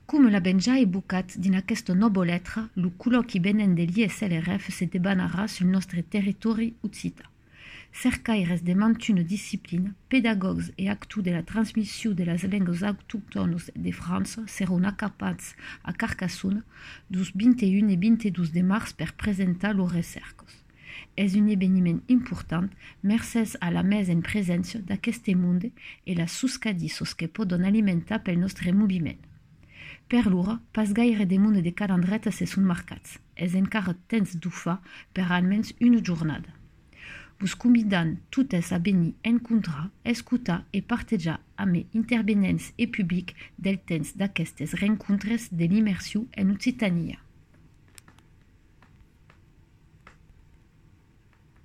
Come la ben già evocat din aquesta nova letra, lo col·loqui venen de l'ISLRF se debanarà sul nostre territori occità. Cercaires de mantuna disciplina, pedagogs e actu de la transmissió de les lengues autoctones de França seront acapats a Carcassonne dus 21 e 22 de març per presentar los recercos. És un eveniment important mercès a la mesa en presència d'aqueste monde e las suscadissos que poden alimentar pel nostre moviment. Per l'ora, pas gaire de monde de calendretes se són marcats. És encara temps d'ufar per almenys una jornada. Vos convidant totes a venir encontrar, escutar e partejar amb intervenents e public del temps d'aquestes rencontres de l'immersió en Occitania.